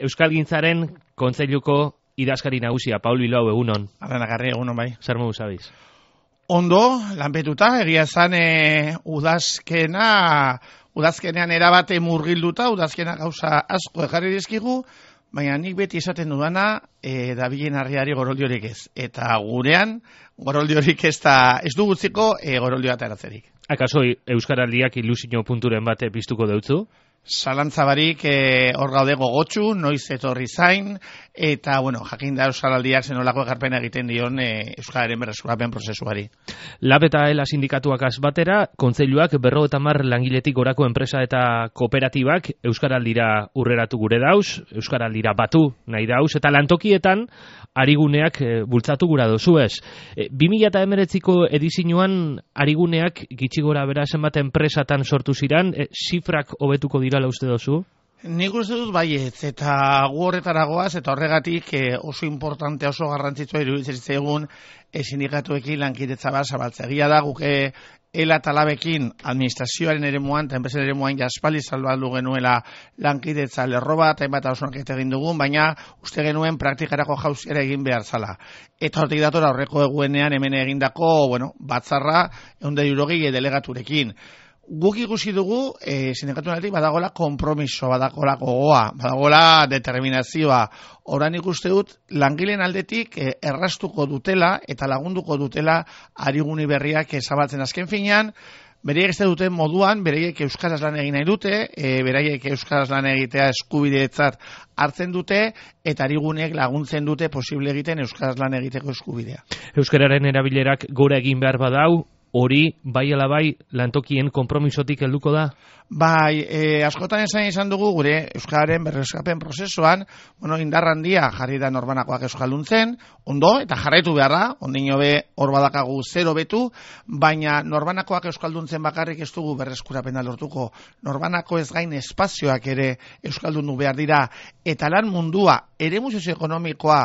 Euskalgintzaren kontseiluko idazkari nagusia, Paul Bilbao, egunon. Arrenagarri, egunon bai. Zer modu zabiz? Ondo, lanpetuta, egia zan udazkenean erabate murgilduta, udazkena gauza asko ekarri dizkigu, baina nik beti esaten dudana, dabilen harriari goroldiorik ez. Eta gurean, goroldiorik ez du gutziko goroldioa ateratzerik. Akaso Euskaraldiak ilusio punturen bate piztuko deutzu? Zalantzabarik hor gaude gogotsu, noiz etorri zain, eta, jakin da Euskaraldiak zenolako ekarpena egiten dion Euskararen berreskurapen prozesuari. Lab eta ELA sindikatuak batera, kontseiluak 50 langiletik gorako enpresa eta kooperatibak Euskaraldira urreratu gure dauz, Euskaraldira batu nahi dauz, eta lantokietan ariguneak bultzatu gura dozu ez. 2019ko edizioan ariguneak gitxi gora bera zenbat enpresatan sortu ziran, zifrak hobetuko dirala uste dozu? Nik uste dut baietz, eta gu horretaragoaz, eta horregatik oso importante, oso garrantzitsua iruditzen zitzaigun sindikatuekin lankidetza bat zabaltzea. Egia da guk ELA eta LABekin administrazioaren eremuan eta enpresen eremuan jaspaldi salbaldu genuela lankidetza lerro bat, hainbat hausunak egin dugun, baina uste genuen praktikarako jauziera egin behar zala. Eta hortik datora horreko eguenean hemen egindako, batzarra 160 delegaturekin. Guk ikusi dugu, sindikatuenetik badagola konpromiso, badagola gogoa, badagola determinazioa. Orain ikuste dut, langileen aldetik errastuko dutela eta lagunduko dutela ariguni berriak zabaltzen azken finean, beraiek ez duten moduan, beraiek euskaraz lan egin nahi dute, beraiek euskaraz lan egitea eskubideetzat hartzen dute, eta arigunek laguntzen dute posible egiten euskaraz lan egiteko eskubidea. Euskararen erabilerak gora egin behar badau, hori, bai ala bai, lantokien konpromisotik helduko da? Bai, askotan izan dugu gure Euskararen berreskapen prozesuan, indar handia jarri da norbanakoak euskalduntzen, ondo, eta jarraitu behar da, ondino be hor badakagu zero betu, baina norbanakoak euskalduntzen bakarrik ez dugu berreskurapena lortuko. Norbanako ez gain espazioak ere euskaldundu behar dira, eta lan mundua, eremu sozioekonomikoa,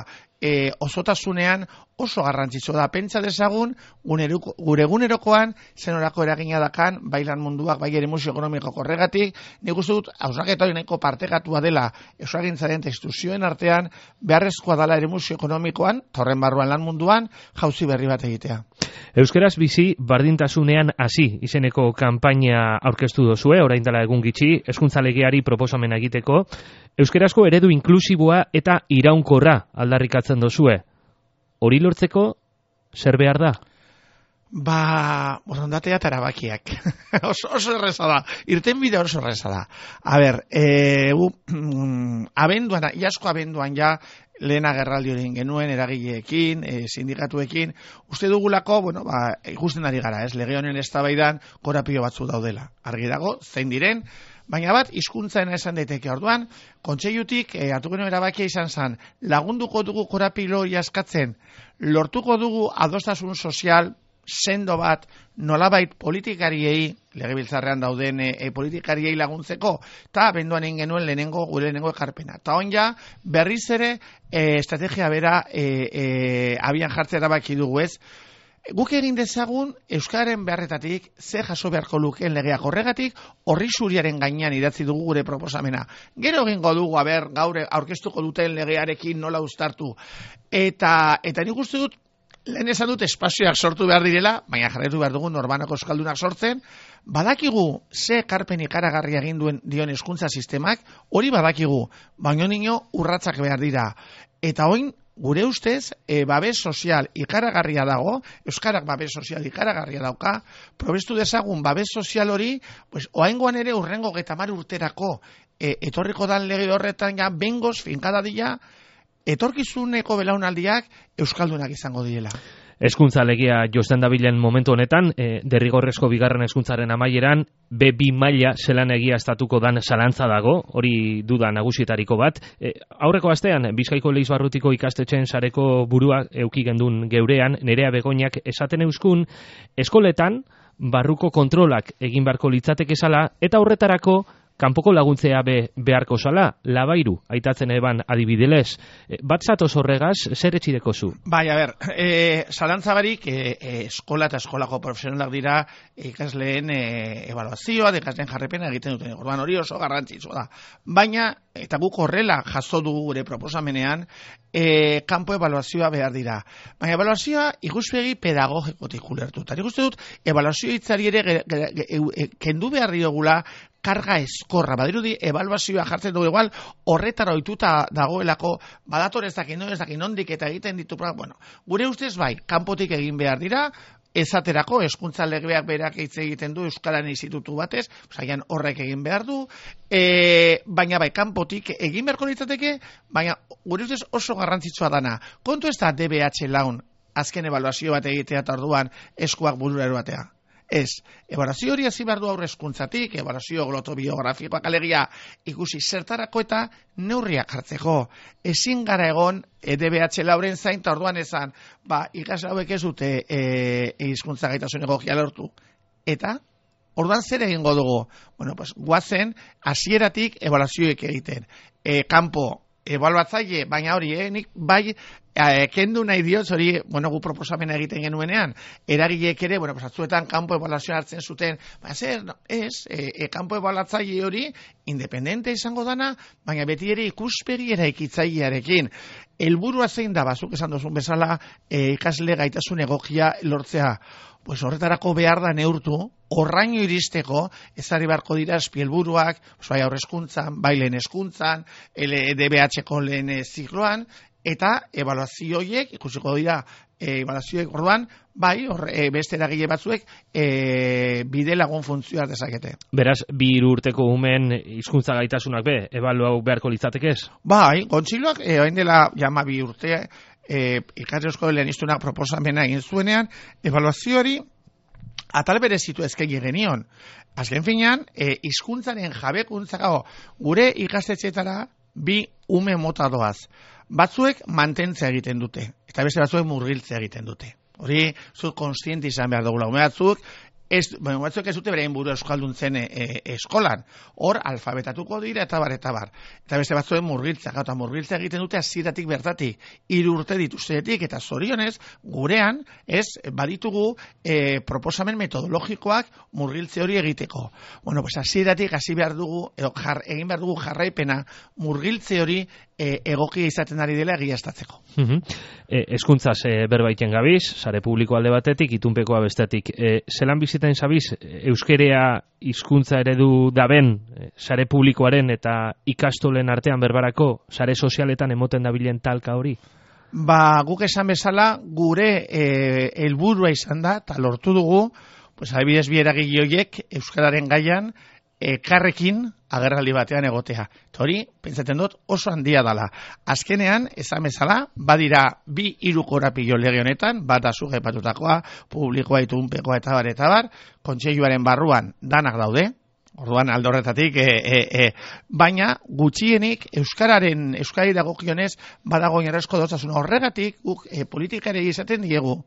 osotasunean oso garrantzitsua da. Pentsa dezagun gure egunerokoan zenorako eragina dakan bai lan munduak, bai eremu sozioekonomiko horregatik, nik uste dut hausnarketa hori nahiko partekatua dela euskalgintzaren eta instituzioen artean beharrezkoa dela eremu sozioekonomikoan, horren barruan lan munduan, jauzi berri bat egitea. Euskaraz bizi bardintasunean hasi izeneko kanpaina aurkeztu dozue, orain dela egun gitxi, hezkuntza legeari proposamena egiteko. Euskarazko eredu inklusiboa eta iraunkorra aldarrikatzen dozue. Hori lortzeko, zer behar da? Borondatea eta erabakiak. oso erreza da. Irtenbide oso erreza da. A ber, iasko abenduan ja, lehen agerraldi hori genuen, eragileekin, sindikatuekin, uste dugulako, ikusten ari gara, lege honen eztabaidan korapilo batzu daudela. Argi dago, zein diren, baina bat, hizkuntzaena esan daiteke orduan, kontseilutik hartu genuen erabakia izan zen, lagunduko dugu korapilo hori askatzen, lortuko dugu adostasun sozial, sendo bat, nolabait politikariei, legebiltzarrean dauden politikariei laguntzeko, eta abenduan egin genuen gure lehenengo ekarpena. Eta on ja, berriz ere, estrategia bera abian jartzea erabaki dugu ez. Guk egin dezagun Euskararen beharretatik ze jaso beharko lukeen legeak horregatik horri zuriaren gainean idatzi dugu gure proposamena. Gero egingo dugu, gaur aurkeztuko duten legearekin nola uztartu. Eta nik uste dut, lehen esan dut espazioak sortu behar direla, baina jarraitu behar dugu norbanako euskaldunak sortzen, badakigu ze ekarpen ikaragarria egin dion hezkuntza sistemak, hori badakigu, baina nino urratzak behar dira. Eta oin, gure ustez, babes sozial ikaragarria dago, euskarak babes sozial ikaragarria dauka, probestu dezagun babes sozial hori, oaingoan ere urrengo 30 urterako etorriko dan lege horretan ja bengoz finkadadila, etorkizuneko belaunaldiak euskaldunak izango direla. Hezkuntza legea josten dabilen momentu honetan, derrigorrezko bigarren hezkuntzaren amaieran, B2 maila zelan egiaztatuko dan zalantza dago, hori duda nagusietariko bat. Aurreko astean, Bizkaiko Leizbarrutiko ikastetxeen sareko burua euki gendun geurean, Nerea Begoñak esaten euskun, eskoletan barruko kontrolak egin beharko litzateke zala, eta horretarako kanpoko laguntzea beharko zala, labairu, aitatzen eban adibidez. Bat zatoz horregaz, zer etxideko zu? Bai, a ber, zalantzabarik eskola eta eskolako profesionalak dira ikasleen ebaluazioa, ikasleen jarrepena egiten duten. Orduan hori oso garrantzitsua da. Baina, eta guk horrela jaso dugu gure proposamenean, kanpo ebaluazioa behar dira. Baina ebaluazioa ikuspegi pedagogikotik ulertu. Eta nik uste dut, ebaluazio hitzari ere kendu behar diogula karga eskorra. Badirudi, ebaluazioa jartzen dugu igual, horretara ohituta dagoelako, badator ez dakin nondik eta egiten ditu. Bueno, gure ustez bai, kanpotik egin behar dira, esaterako, hezkuntza legeak berak hitz egiten du Euskararen institutu batez, osaian horrek egin behar du, baina bai, kanpotik egin beharko litzateke, baina gure ustez oso garrantzitsua dana. Kontu ez da DBH laun azken ebaluazio bat egitea eta orduan eskuak burura eroatea. Ez, ebaluazio hori hasi behar du aurre hezkuntzatik, ebaluazio glotobiografikoak alegia ikusi zertarako eta neurriak hartzeko. Ezin gara egon DBH lauren zain, eta orduan esan, ikasle hauek ez dute hizkuntza gaitasun egokia lortu. Eta, orduan zer egingo dugu? Bueno, pues, guazen, hasieratik ebaluazioek egiten. Kanpo, ebaluatzaile, baina hori, nik bai, kendu nahi diot, hori, gu proposamena egiten genuenean, eragileek ere, atzuetan kanpo ebaluazioa hartzen zuten, kanpo ebaluatzaile hori, independente izango dana, baina beti ere ikuspegi eraikitzailearekin. Helburua zein da, bazuk esan duzun bezala, ikasle gaitasun egokia lortzea. Pues horretarako behar da neurtu, horraino iristeko, ezari beharko dira espielburuak, bai aurrezkuntzan, bai lehen hezkuntzan, DBH-ko lehen zikloan, eta ebaluazioiek, ikusiko dira, ebaluazioek orduan, bai, beste eragile batzuek, bide lagun funtzioa dezakete. Beraz, 2 urteko umen hizkuntza gaitasunak ebaluau beharko litzatekez? Bai, Kontseiluak, hain dela, 2 urte, ikasle eskolen iztunak proposamena egin zuenean, ebaluazioari atal berezitu eskaini genion. Azken finean, hizkuntzaren jabekuntza gure ikastetxeetara 2 ume mota doaz. Batzuek mantentzea egiten dute, eta beste batzuek murgiltzea egiten dute. Hori, zut konstiente izan behar dugula. Ume batzuek ez dute berein buru euskalduntzen eskolan. Hor, alfabetatuko dira eta bar. Eta beste batzuen murgiltzea. Eta murgiltzea egiten dute hasieratik bertatik. 3 urte dituztetik eta zorionez, gurean, baditugu proposamen metodologikoak murgiltze hori egiteko. Bueno, pues hasieratik hasi behar dugu, egin behar dugu jarraipena murgiltze hori egokia izaten ari dela egiaztatzeko. Hezkuntzaz berbaiten gabiz, sare publiko alde batetik, itunpekoa bestetik. Zelan biziten zabiz, euskerea hizkuntza eredu daben, sare publikoaren eta ikastolen artean berbarako, sare sozialetan emoten dabilen talka hori? Guk esan bezala, gure helburua izan da, eta lortu dugu, adibidez bi eragile horiek euskararen gaian, karrekin agerraldi batean egotea. Eta hori, pentsatzen dut, oso handia dala. Azkenean, esan bezala, badira 2-3 korapilo lege honetan, bat azuk aipatutakoa, publikoa, itunpekoa eta bar, kontseiluaren barruan danak daude, orduan alde horretatik, baina gutxienik Euskarari dagokionez badago oinarrizko dostasuna. Horregatik, guk politikari izaten diegu,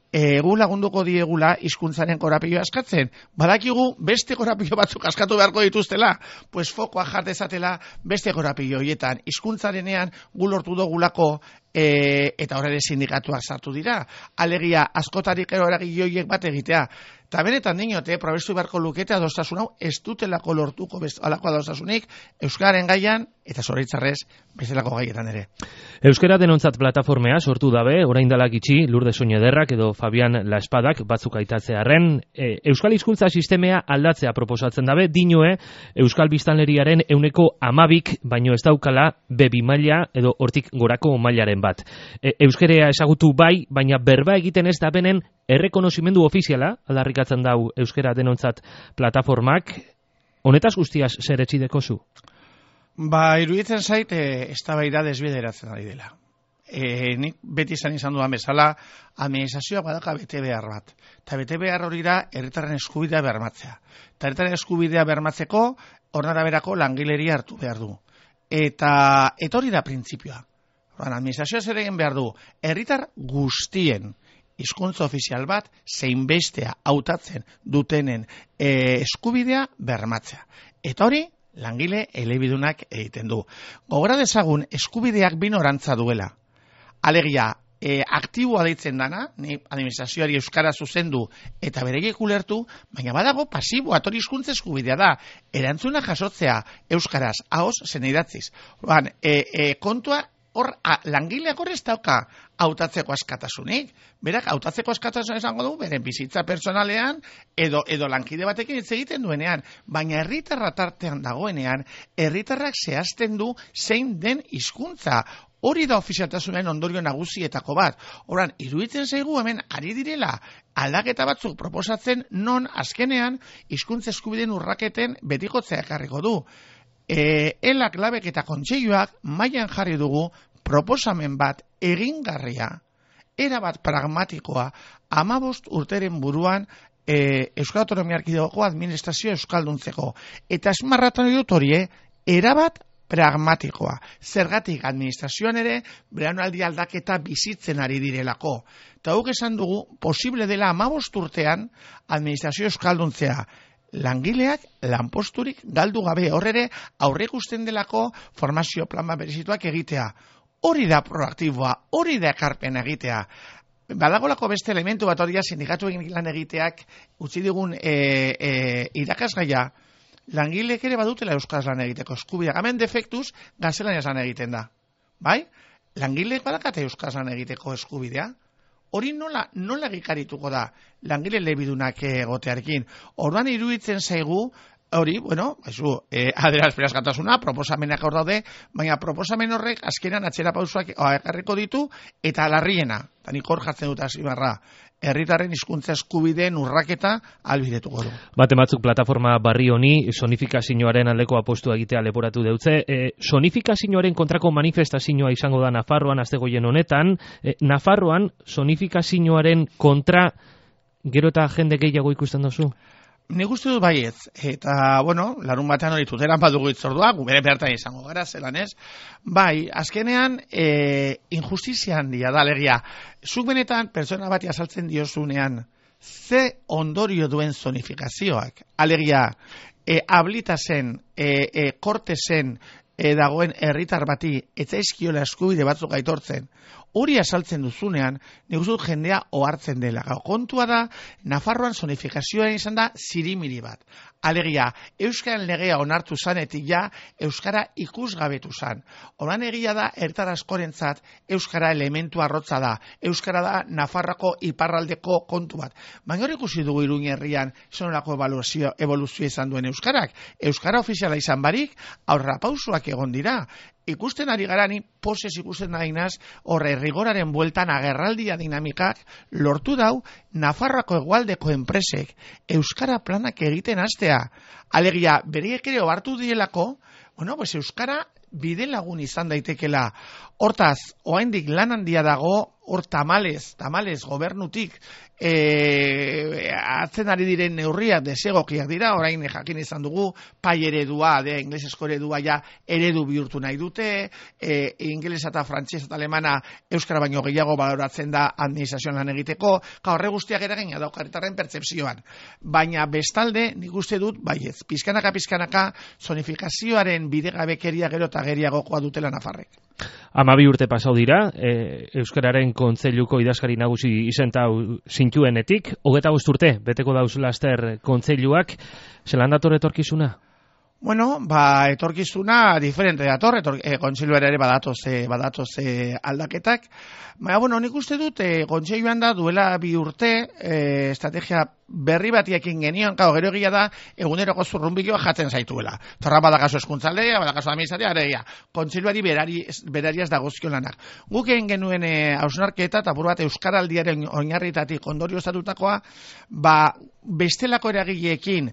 gu lagunduko diegula hizkuntzaren korapioa askatzen. Badakigu beste korapio batzuk askatu beharko dituztela, pues fokoa jatezatela beste korapio horietan. Hizkuntzarenean gu lortu dugulako eta horre sindikatuak sartu dira. Alegia askotarik eragile horiek bat egitea. Eta benetan dinote, probestu beharko lukete adostasun hau, ez dutelako lortuko alako adostasunik euskararen gaian, eta zoritzarrez bezalako gaietan ere. Euskara denontzat plataformea sortu dabe, orain dalak itxi, Lurde Soñederrak edo Fabian La Espadak batzuk aitatzearen, Euskal Hizkuntza sistemea aldatzea proposatzen dabe, dinoe Euskal Biztanleriaren 12%, baino ez daukala B2 maila edo hortik gorako mailaren bat. Euskerea ezagutu bai, baina berba egiten ez da benen errekonozimendu ofiziala, aldarrikatzen dau Euskara denontzat plataformak, honetaz guztiaz zer etxideko zu? Iruditzen zait, eztabaida desbideratzen ari dela. Nik beti izan dudan bezala, administrazioa badaka bete behar bat. Eta bete behar hori da, herritarren eskubidea bermatzea. Eta herritarren eskubidea bermatzeko, hornara berako langileria hartu behar du. Eta hori da printzipioa. Administrazioa zer egin behar du, herritar guztien hizkuntza ofizial bat, zein bestea hautatzen dutenen eskubidea bermatzea. Eta hori, langile elebidunak egiten du. Gogora dezagun, eskubideak bi norantza duela. Alegia, aktiboa deitzen dana, ni administrazioari euskara zuzendu eta bereiek ulertu, baina badago pasiboa, hori hizkuntza eskubidea da, erantzuna jasotzea euskaraz, ahoz zen idatziz. Kontua, hor, langileak hor ez dauka hautatzeko askatasunik. Berak, hautatzeko askatasun esango du, beren bizitza personalean, edo lankide batekin hitz egiten duenean, baina herritarra tartean dagoenean, herritarrak zehazten du zein den hizkuntza. Hori da ofizialtasunen ondorio nagusietako bat. Horan, iruditzen zaigu hemen ari direla aldaketa batzuk proposatzen non azkenean hizkuntza eskubideen urraketen betikotzea ekarriko du. Elak, labek eta kontseiluak mailan jarri dugu proposamen bat egingarria, erabat pragmatikoa, 15 urteren buruan Euskal Autonomia Erkidegoko administrazio euskalduntzeko. Eta esmarratan dut hori, erabat pragmatikoa. Zergatik administrazioan ere, belaunaldi aldaketa bizitzen ari direlako. Eta guk esan dugu, posible dela 15 urtean administrazio euskalduntzea. Langileak lanposturik galdu gabe, horre aurre ikusten delako formazio plan berezituak egitea. Hori da proaktiboa, hori da ekarpen egitea. Badagolako beste elementu bat hori sindikatu lan egiteak utzi digun irakasgaia, langileek ere badutela euskaraz lan egiteko eskubidea. Hemen defektuz gaztelaniaz lan egiten da. Bai? Langileek badakate euskaraz lan egiteko eskubidea. Hori nola gikarituko da langile elebidunak egotearekin. Orduan iruditzen zaigu, hori, adierazperazgatasuna, proposamenak hor daude, baina proposamen horrek azkenan atzera pausoak ekarriko ditu, eta larriena, eta nik hor jartzen dut azimarra, herritarren hizkuntza eskubideen urraketa albidetuko du. Baten batzuk plataforma barri honi sonifikazioaren aldeko apostua egitea leporatu deutze. Sonifikazioaren kontrako manifestazioa izango da Nafarroan astegoien honetan. Nafarroan sonifikazioaren kontra gero eta jende gehiago ikusten duzu? Nik uste dut baietz, eta, larun batean hori tuteran badugu itzordua, gubere bertan izango gara, zelan ez. Bai, azkenean, injustizia handia da, alegia. Zuk benetan, pertsona bati azaltzen diozunean, ze ondorio duen zonifikazioak, alegia, ablitazen, kortezen, dagoen herritar bati, etzaizkiola eskubide batzuk aitortzen, hori azaltzen duzunean, nik uste dut jendea ohartzen dela. Kontua da, Nafarroan sonifikazioa izan da zirimiri bat. Alegia, euskaren legea onartu zanetik ja, euskara ikusgabetu zan. Horan egia da, herritar askorentzat, euskara elementu arrotza da. Euskara da, Nafarroako iparraldeko kontu bat. Baina hori ikusi dugu Iruin herrian, zonolako evoluzio izan duen euskarak. Euskara ofiziala izan barik, aurrapausoak egon dira. Ikusten ari garani, posez ikusten nahi naz, horre rigoraren bueltan agerraldia dinamikak lortu dau Nafarroako hegoaldeko enpresek euskara planak egiten hastea. Alegia, beriek ere ohartu dielako, euskara bide lagun izan daitekela. Hortaz, oraindik lan handia dago, hor tamalez gobernutik atzen ari diren neurriak desegokiak dira, orain jakin izan dugu, pai eredua, inglesesko eredua ja eredu bihurtu nahi dute, ingelesa eta frantsesa eta alemana euskara baino gehiago baloratzen da administrazioan lan egiteko, horre guztiak eragina dauka herritarren pertzepzioan. Baina bestalde, nik uste dut, baietz, pizkanaka, zonifikazioaren bidegabekeria gero eta geriagokoa dutela Nafarrek. 12 urte pasau dira, Euskararen Kontseiluko idazkari nagusi izentau zintuenetik, 25 urte, beteko dauz laster kontseiluak, zelan dator etorkizuna? Etorkizuna diferente dator, kontseiluera ere badatoz aldaketak. Baina, nik uste dut, kontseiluan da duela 2 urte, estrategia berri batiekin genion, gero egia da, eguneroko zurrunbiloa jatzen zaituela. Torra badakazu eskuntzaldea, badakazu administratia, aregia. Kontseiluari berariaz dagozkion lanak. Guk egin genuen hausnarketa, eta buru bat euskaraldiaren oinarritatik ondorio estatutakoa, bestelako eragileekin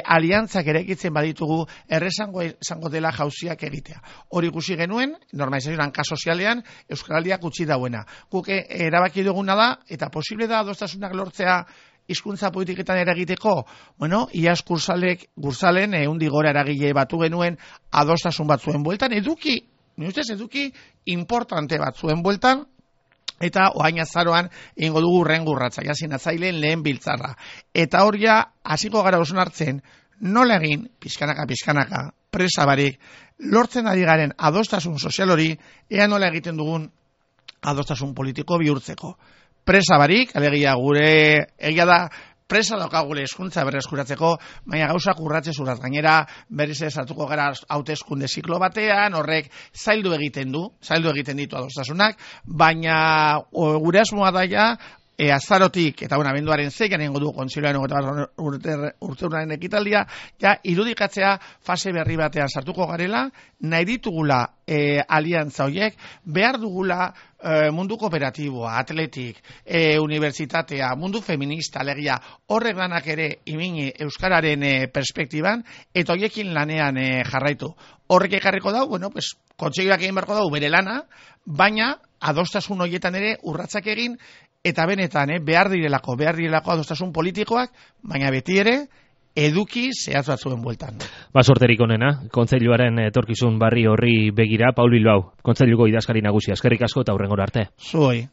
aliantzak eraikitzen baditugu errezango dela jauziak egitea. Hori ikusi genuen, normalizazioan sozialean, euskaraldiak utzi dauena. Guk erabaki duguna da, eta posible da adostasunak lortzea hizkuntza politiketan eragiteko, iaz Gursalen gora eragile batu genuen adostasun batzuen bueltan, eduki importante batzuen bueltan, eta oain azaroan egingo dugu urrengurratza, sinatzaileen lehen biltzarra. Eta hor ja, hasiko gara osnartzen, nola egin, pizkanaka, presa barik, lortzen ari garen adostasun sozial hori, ea nola egiten dugun adostasun politiko bihurtzeko. Presa barik, alegia gure, egia da, presa daukagule hezkuntza berreskuratzeko, baina gauzak urratze zuraz gainera, berriz ez hartuko gara hauteskunde ziklo batean, horrek zaildu egiten ditu adostasunak, baina gure asmoa daia, azarotik, eta abenduaren 6 egingo du kontzilioaren urteuraren ekitaldia, ja irudikatzea fase berri batean sartuko garela, nahi ditugula aliantza horiek, behar dugula mundu kooperatiboa, atletik, unibertsitatea, mundu feminista, alegia, horrek lanak ere imini euskararen perspektiban, eta horiekin lanean jarraitu. Horrek ekarriko dau, kontseilioak egin beharko dau bere lana, baina adostasun horietan ere urratsak egin, eta benetan, behar direlako adostasun politikoak, baina beti ere, eduki zehatz batzuen bueltan. Sorterik onena, kontseiluaren etorkizun barri horri begira, Paul Bilbao, kontseiluko idazkari nagusia, eskerrik asko eta hurrengora arte. Zuoi.